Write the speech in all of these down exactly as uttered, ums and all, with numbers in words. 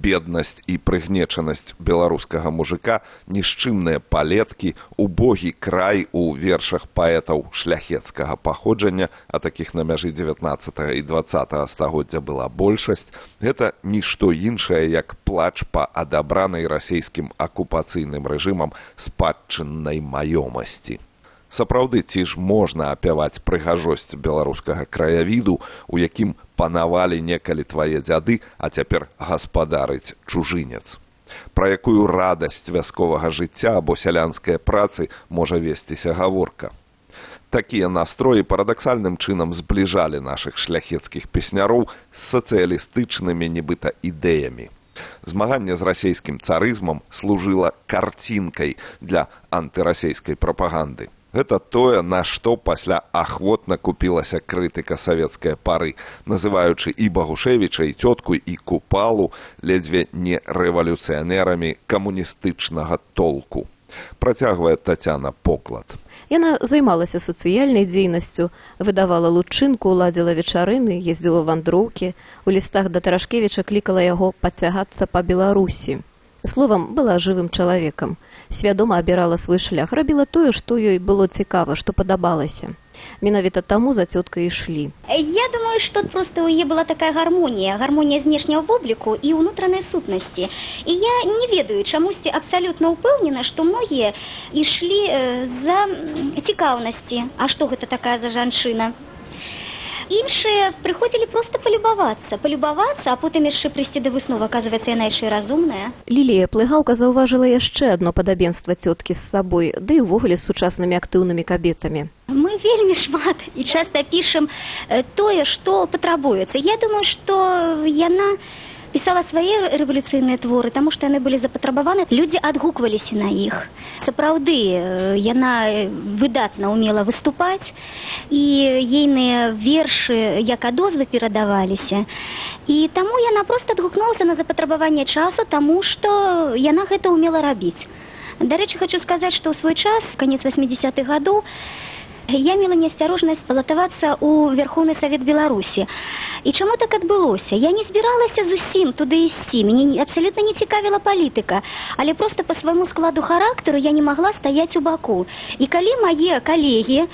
беднасць і прыгнечанасць беларускага мужика, нішчымныя палеткі, убогі край у вершах паэтаў шляхецкага паходжання, а такіх на мяжы дзевятнаццатага і дваццатага стагоддзя была большасць, гэта нішто іншае, як плач па адабранай расійскім акупацыйным рэжымам спадчыннай маёмасці. Сапраўды, ці ж можна апяваць прыгажосць беларускага краявіду, у якім панавалі некалі твае дзяды, а цяпер гаспадарыць чужынец? Пра якую радасць вясковага жыцця або сялянскай працы можа весціся гаворка? Такія настроі парадаксальным чынам збліжалі нашых шляхецкіх песняроў з сацыялістычнымі нібыта ідэямі. Змаганне з расійскім царызмам служыла карцінкай для антырасійскай прапаганды. Гэта тое, на што пасля ахвотна купілася крытыка савецкай пары, называючы і Багушевіча, і цётку, і Купалу ледзьве не рэвалюцыянерамі камуністычнага толку. Працягвае Тацяна Поклад. Яна займалася сацыяльнай дзейнасцю, выдавала лучынку, ладзіла вечарыны, ездзіла ў вандроўкі, у лістах да Тарашкевіча клікала яго падцягацца па Беларусі. Словам, была жывым чалавекам. Свядома абірала свой шлях, рабіла тое, што ёй было цікава, што падабалася. Менавіта таму за цёткай ішлі. Я думаю, што проста ў яе была такая гармонія, гармонія знешняга вобліку і ўнутранай сутнасці. І я не ведаю, чамусьці абсалютна ўпэўнена, што многія ішлі за цікаўнасці. А што гэта такая за жанчына? Іншыя прыходзілі проста палюбавацца, палюбавацца, а потым яшчэ прыйсці да высновы, аказваецца, яна яшчэ разумная. Лілія Плыгаўка заўважыла яшчэ адно падабенства цёткі з сабой, ды і ўвогуле з сучаснымі актыўнымі кабетамі. Мы вельмі шмат і часта пішам тое, што патрабуецца. Я думаю, што яна пісала свае рэвалюцыйныя творы, таму што яны былі запатрабаваны, людзі адгукваліся на іх. Сапраўды, яна выдатна ўмела выступаць, і ейныя вершы як адозвы перадаваліся. І таму яна проста адгукнулася на запатрабаванне часу, таму што яна гэта ўмела рабіць. Дарэчы, хочу сказаць, што ў свой час, канец васьмідзесятых гадоў, я мела неасцярожнасць балатавацца ў Верховны Савет Беларусі. І чаму так адбылося? Я не збіралася зусім туды ісці, мяне абсалютна не цікавіла палітыка, але проста па свайму складу характару я не магла стаяць у баку. І калі мае калегі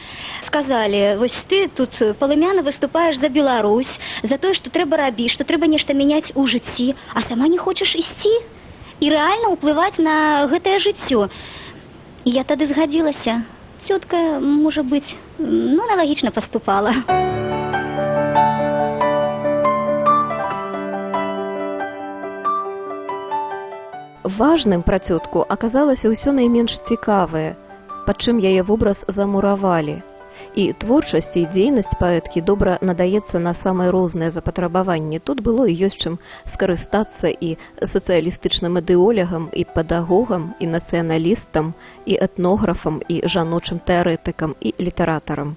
сказалі, вось ты тут палымяна выступаеш за Беларусь, за тое, што трэба рабіць, што трэба нешта мяняць у жыцці, а сама не хочаш ісці і рэальна ўплываць на гэтае жыццё. І я тады згадзілася. Цётка, можа быць, ну, аналагічна паступала. Важным пра цётку аказалася ўсё найменш цікавае, пад чым яе вобраз замуравалі. І творчасць і дзейнасць паэткі добра надаецца на самыя розныя запатрабаванні. Тут было і ёсць чым скарыстацца і сацыялістычным ідэолягам, і педагогам, і нацыяналістам, і этнографам, і жаночым тэарэтыкам, і літаратарам.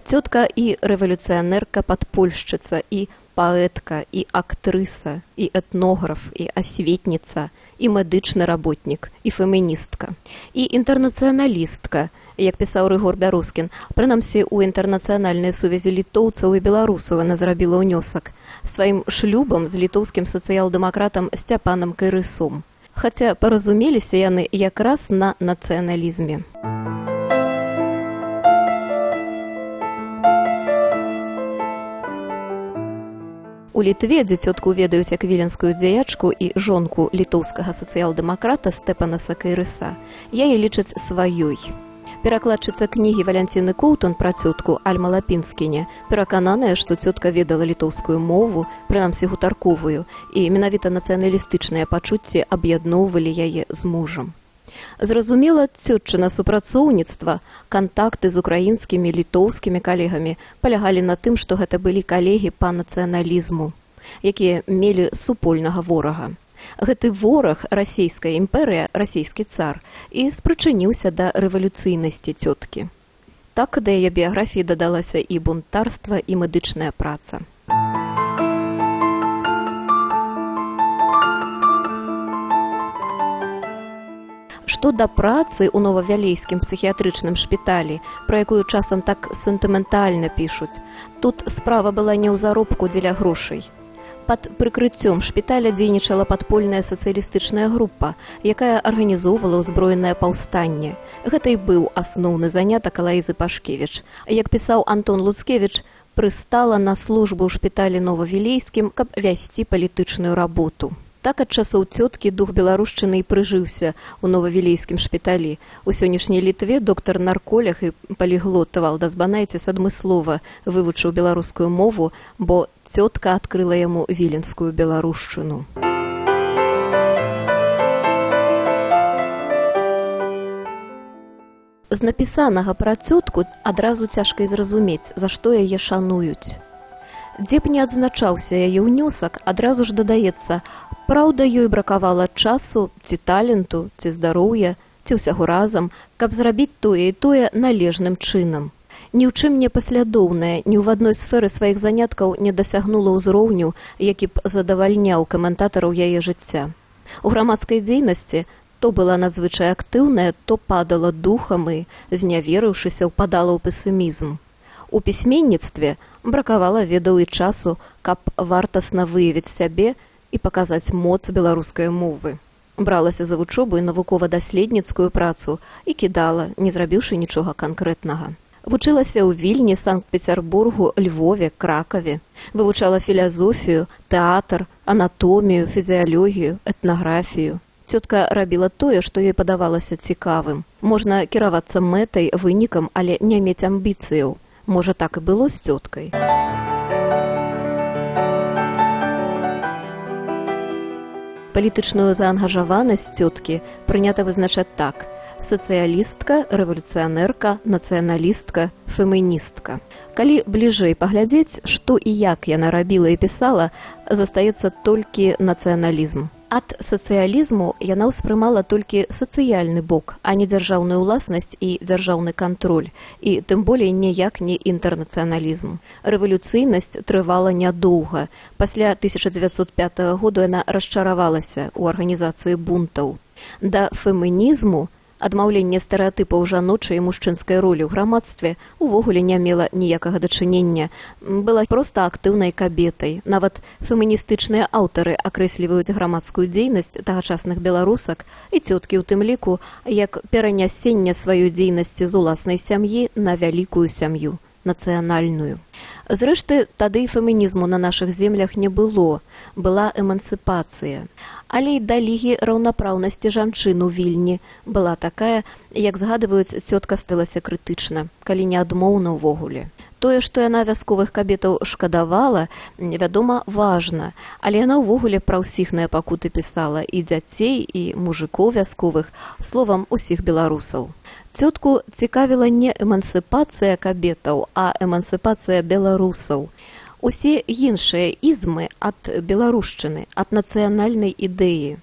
Цётка і рэвалюцыянерка-падпольшчыца, і паэтка, і актрыса, і этнограф, і асветніца, і медычны работнік, і феміністка, і інтэрнацыяналістка, як пісаў Рыгор Бярускін, прынамсі ў інтэрнацыянальнай сувязі літоўцаў і беларусаў яна зрабіла ўнёсак сваім шлюбам з літоўскім сацыял-дэмакратам Сцяпанам Кайрысом. Хаця паразумеліся яны якраз на нацыяналізме. У Літве, дзе цётку ведаюць як віленскую дзеячку і жонку літоўскага сацыял-дэмакрата Стэпанаса Кайрыса, яе лічаць сваёй. Перакладчыца кнігі Валянціны Коўтун пра цётку Альма Лапінскіне перакананая, што цётка ведала літоўскую мову, прынамсі гутарковую, і менавіта нацыяналістычныя пачуцці аб'ядноўвалі яе з мужам. Зразумела, цётчына супрацоўніцтва, кантакты з украінскімі, літоўскімі калегамі палягалі на тым, што гэта былі калегі па нацыяналізму, якія мелі супольнага ворага. Гэты вораг, расійская імперыя, расійскі цар, і спрычыніўся да рэвалюцыйнасці цёткі. Так да яе біяграфіі дадалася і бунтарства, і медычная праца. Што да працы ў новавялейскім псіхіятрычным шпіталі, пра якую часам так сентыментальна пішуць, тут справа была не ў заробку дзеля грошай. Пад прыкрыццём шпіталя дзейнічала падпольная сацыялістычная група, якая арганізоўвала ўзброенае паўстанне. Гэта і быў асноўны занятак Алаізы Пашкевіч. Як пісаў Антон Луцкевіч, прыстала на службу ў шпіталі Новавілейскім, каб весці палітычную работу. Так ад часоў цёткі дух беларушчыны і прыжыўся ў Новавілейскім шпіталі. У сённяшняй Літве доктар-нарколог і паліглот Валдас Банайціс адмыслова вывучыў беларускую мову, бо цётка адкрыла яму віленскую беларушчыну. З напісанага пра цётку адразу цяжка і зразумець, за што яе шануюць. Дзе б не адзначаўся яе ўнёсак, адразу ж дадаецца: праўда, ёй бракавала часу, ці таленту, ці здароўя, ці ўсяго разам, каб зрабіць тое і тое належным чынам. Ні ў чым не паслядоўная, ні ў адной сферы сваіх заняткаў не дасягнула ўзроўню, які б задавальняў каментатараў яе жыцця. У грамадскай дзейнасці то была надзвычай актыўная, то падала духам і, зняверыўшыся, ўпадала ў песімізм. У пісьменніцтве бракавала ведаў і часу, каб вартасна выявіць сябе і паказаць моц беларускай мовы. Бралася за вучобу і навукова-даследніцкую працу і кідала, не зрабіўшы нічога канкрэтнага. Вучылася ў Вільні, Санкт-Пецярбургу, Львове, Кракаве. Вывучала філазофію, тэатр, анатомію, фізіялогію, этнаграфію. Цётка рабіла тое, што ёй падавалася цікавым. Можна кіравацца мэтай, вынікам, але не мець амбіцыяў. Можа, так і было з цёткай. Палітычную заангажаванасць цёткі прынята вызначаць так: сацыялістка, рэвалюцыянерка, нацыяналістка, феміністка. Калі бліжэй паглядзець, што і як яна рабіла і пісала, застаецца толькі нацыяналізм. Ад сацыялізму яна ўспрымала толькі сацыяльны бок, а не дзяржаўную ўласнасць і дзяржаўны кантроль, і тым болей ніяк не інтэрнацыяналізм. Рэвалюцыйнасць трывала нядоўга. Пасля тысяча дзевяцьсот пятага году яна расчаравалася ў арганізацыі бунтаў. Да фемінізму, адмаўленне стэрэатыпаў жаночай і мужчынскай ролі ў грамадстве, увогуле не мела ніякага дачынення. Была проста актыўнай кабетай. Нават феміністычныя аўтары акрэсліваюць грамадскую дзейнасць тагачасных беларусак і цёткі ў тым ліку як перанясенне сваёй дзейнасці з уласнай сям'і на вялікую сям'ю, нацыянальную. Зрэшты, тады фемінізму на нашых землях не было, была эмансіпацыя. Але і да лігі раўнапраўнасці жанчын у Вільні была такая, як згадваюць, цётка сталася крытычна, калі не адмоўна ўвогуле. Тое, што яна вясковых кабетаў шкадавала, вядома, важна, але яна ўвогуле пра ўсіх пакуты пісала, і дзяцей, і мужикоў вясковых, словам, усіх беларусаў. Цётку цікавіла не эмансіпацыя кабетаў, а эмансіпацыя беларусаў. Усе іншыя ізмы ад беларушчыны, ад нацыянальнай ідэі.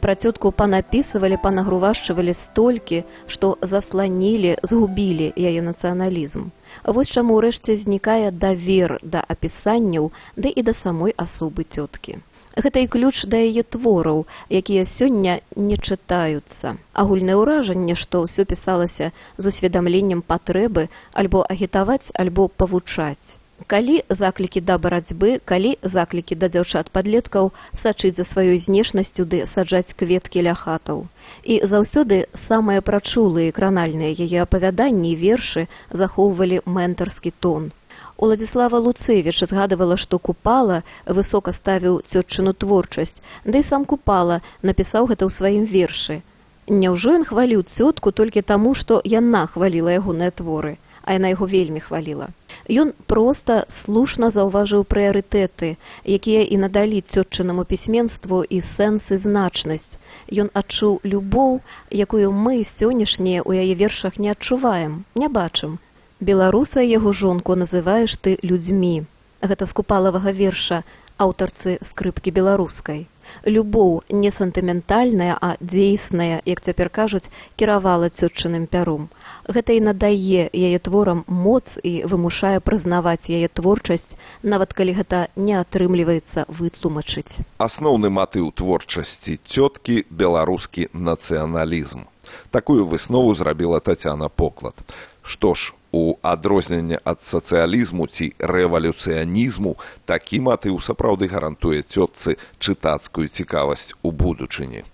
Пра цётку панапісывалі, панагрувашчывалі столькі, што засланілі, згубілі яе нацыяналізм. Вось чаму ўрэшце знікае давер да апісанняў, ды і да самой асобы цёткі. Гэта і ключ да яе твораў, якія сёння не чытаюцца. Агульнае ўражанне, што ўсё пісалася з усведамленнем патрэбы альбо агітаваць, альбо павучаць. Калі заклікі да барацьбы, калі заклікі да дзяўчат-падлеткаў сачыць за сваёй знешнасцю ды саджаць кветкі ля хатаў. І заўсёды самыя прачулыя кранальныя яе апавяданні і вершы захоўвалі ментарскі тон. Уладзіслава Луцевіч згадывала, што Купала высока ставіў цётчыну творчасць, ды і сам Купала напісаў гэта ў сваім вершы. Няўжо ён хваліў цётку толькі таму, што яна хваліла ягоныя творы, а яна яго вельмі хваліла. Ён проста слушна заўважыў прыярытэты, якія і надалі цётчынаму пісьменству і сэнс і значнасць. Ён адчуў любоў, якую мы сённяшнія ў яе вершах не адчуваем, не бачым. Беларуса яго жонку называеш ты людзьмі. Гэта з Купалавага верша аўтарцы скрыпкі беларускай. Любоў не сантыментальная, а дзейсная, як цяпер кажуць, кіравала цётчыным пяром. Гэта і надае яе творам моц і вымушае прызнаваць яе творчасць, нават калі гэта не атрымліваецца вытлумачыць. Асноўны матыў творчасці цёткі – беларускі нацыяналізм. Такую выснову зрабіла Тацяна Поклад. Што ж, у адрозненне ад сацыялізму ці рэвалюцыянізму, такі матыў сапраўды гарантуе цётцы чытацкую цікавасць у будучыні.